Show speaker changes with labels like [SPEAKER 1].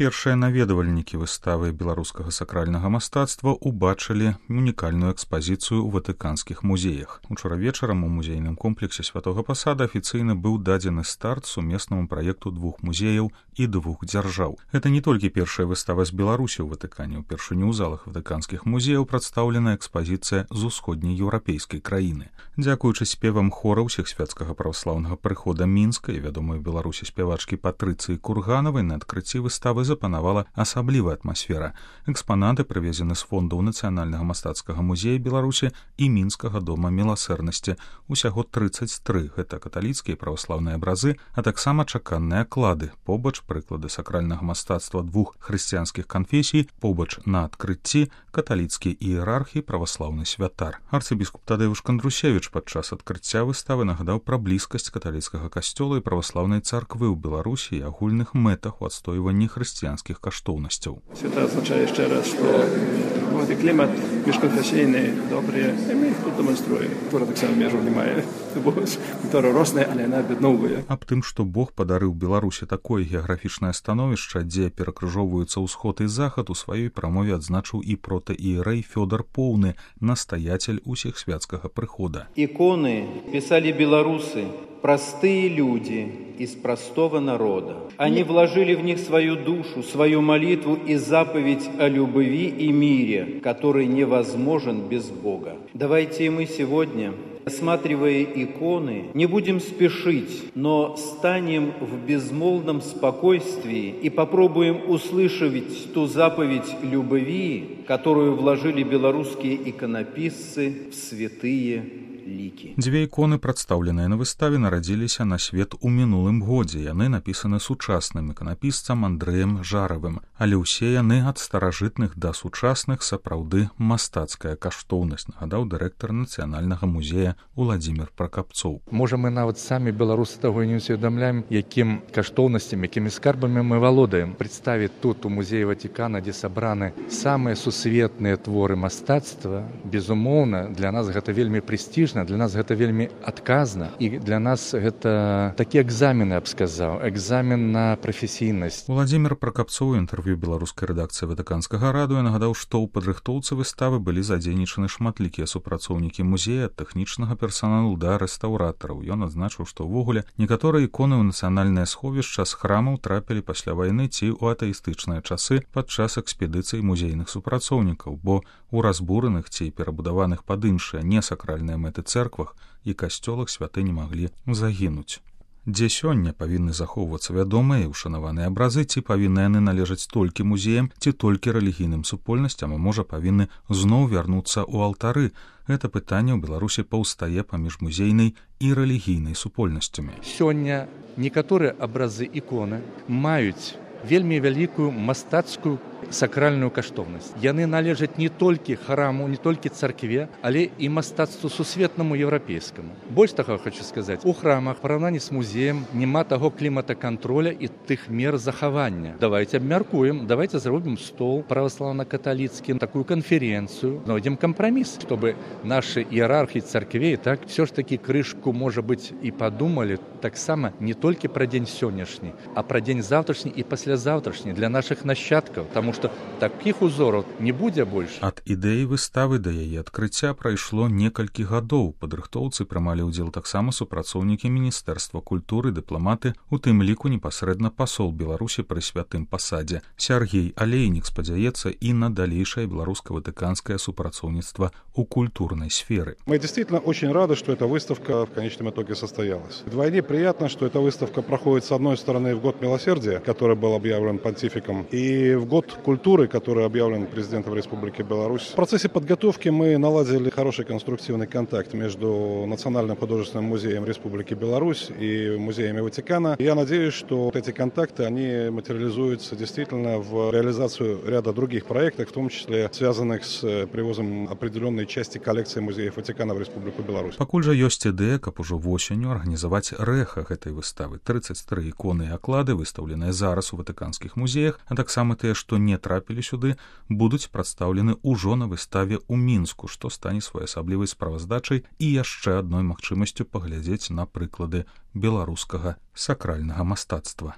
[SPEAKER 1] Першыя наведвальнікі выставы беларускага сакральнага мастацтва убачылі унікальную экспазіцыю ў ватыканскіх музеях. Учора вечарам у музейным комплексе Святога Пасада афіцыйна быў дадзены старт сумеснаму праекту двух музеяў і двух дзяржаў. Гэта не толькі першая выстава з Беларусі ў Ватыкане. Упершыню ў залах ватыканскіх музеяў прадстаўлена экспазіцыя з усходняй еўрапейскай краіны. Дзякуючы спевам хора ўсехсвяцкага праваслаўнага прыхода Мінска і вядомай у Беларусі спявачкі Патрыцыі Курганавай на адкрыцці выставы запанавала асаблівая атмасфера. Экспанаты прывезены з фондаў Нацыянальнага мастацкага музея Беларусі і Мінскага дома міласэрнасці. Усяго 33 гэта каталіцкія праваслаўныя абразы, а таксама чаканныя клады, побач прыклады сакральнага мастацтва двух хрысціянскіх канфесій, побач на адкрыцці каталіцкі іерарх і праваслаўны святар. Арцыбіскуп Тадэвуш Кандрусевіч падчас адкрыцця выставы нагадаў пра блізкасць каталіцкага касцёла і праваслаўнай царквы ў Беларусі і агульных мэтах у адстойванні хрысціянскіх каштоўнасцяў.
[SPEAKER 2] Свята азначае яшчэ раз, што гэты клімат міжканфесійны добры, і мы тут дэманструем. Która так само межаў не мае, бо культура росная, але яна аб'ядноўвае.
[SPEAKER 1] Аб тым, што Бог падарыў Беларусі такое геаграфічнае становішча, дзе перакрыжоўваюцца ўсход і захад, у сваёй прамове адзначыў і протаіерэй Фёдор Поўны, настоятель усехсвяцкага прыхода.
[SPEAKER 3] Иконы писали белорусы, простые люди из простого народа. Они вложили в них свою душу, свою молитву и заповедь о любви и мире, который невозможен без Бога. Давайте и мы сегодня, осматривая иконы, не будем спешить, но станем в безмолвном спокойствии и попробуем услышать ту заповедь любви, которую вложили белорусские иконописцы в святые лікі.
[SPEAKER 1] Дзве іконы, прадстаўленыя на выставе, нарадзіліся на свет у мінулым годзе. Яны напісаны сучасным іканапісцам Андрэем Жаравым, але ўсе яны ад старажытных да сучасных сапраўды мастацкая каштоўнасць, нагадаў дырэктар Нацыянальнага музея Уладзімір Пракапцоў.
[SPEAKER 4] Можа, мы нават самі беларусы таго і не усведамляем, якім каштоўнасцямі, якімі скарбамі мы валодаем. Прадставіць тут у музеі Ватыкана, дзе сабраны самыя сусветныя творы мастацтва, безумоўна, для нас гэта вельмі прэстыжна. Для нас гэта вельмі адказна, і для нас гэта такі экзамен, я б сказаў, экзамен на прафесійнасць.
[SPEAKER 1] Уладзімір Пракапцоў у інтэрв'ю беларускай рэдакцыі Ватыканскага радыё нагадаў, што ў падрыхтоўцы выставы былі задзейнічаны шматлікія супрацоўнікі музея, ад тэхнічнага персаналу да рэстаўратараў. Ён адзначыў, што ўвогуле некаторыя іконы ў нацыянальнае сховішча з храмаў трапілі пасля вайны ці ў атэістычныя часы падчас экспедыцый музейных супрацоўнікаў, бо у разбураных ці перабудаваных пад іншыя несакральныя мэты цэрквах і касцёлах святыні маглі загінуць. Дзе сёння павінны захоўвацца вядомыя і ушанаваныя абразы, ці павінны яны належаць толькі музеям, ці толькі рэлігійным супольнасцям, а можа павінны зноў вярнуцца ў алтары. Гэта пытанне ў Беларусі паўстае паміж музейнай і рэлігійнай супольнасцямі.
[SPEAKER 4] Сёння некаторыя абразы іконы маюць вельмі вялікую мастацкую сакральную каштоўнасць. Яны належаць не толькі храму, не толькі царкве, але і мастацтву сусветнаму еўрапейскаму. Больш таго хочу сказаць, у храмах, параўнанні з музеем, няма таго клімата контроля і тых мер захавання. Давайте абмяркуем, давайте зробім стол праваслаўна-каталіцкі, такую канференцыю, знойдзем кампраміс, чтобы нашы іерархі царквей так все ж таки крышку, можа быць, і падумалі таксама не толькі пра дзень сённяшні, а пра дзень заўтрашні і паслязаўтрашні для нашых нашчадкаў, таму што такіх узораў не будзе больш.
[SPEAKER 1] Ад ідэі выставы да яе адкрыцця прайшло некалькі гадоў. Падрыхтоўцы прымалі ўдзел таксама супрацоўнікі Міністэрства культуры, дыпламаты, у тым ліку непасрэдна пасол Беларусі пры Святым Пасадзе. Сяргей Алейнік спадзяецца і на далейшае беларуска-ватыканскае супрацоўніцтва у культурной сферы.
[SPEAKER 5] Мы действительно очень рады, что эта выставка в конечном итоге состоялась. Вдвойне приятно, что эта выставка проходит с одной стороны в год милосердия, который был объявлен понтификом, и в год культуры, который объявлен президентом Республики Беларусь. В процессе подготовки мы наладили хороший конструктивный контакт между Национальным художественным музеем Республики Беларусь и музеями Ватикана. Я надеюсь, что эти контакты, они материализуются действительно в реализацию ряда других проектов, в том числе связанных с привозом определенной части коллекции музеев Ватикана в Республику Беларусь.
[SPEAKER 1] Пакуль жа ёсць ідэя, каб ужо восенню арганізаваць рэха гэтай выставы. 33 іконы і аклады, выстаўленыя зараз у ватыканскіх музеях, а таксама тыя, што не трапілі сюды, будуць прадстаўлены ўжо на выставе ў Мінску, што стане своеасаблівай справаздачай і яшчэ адной магчымасцю паглядзець на прыклады беларускага сакральнага мастацтва.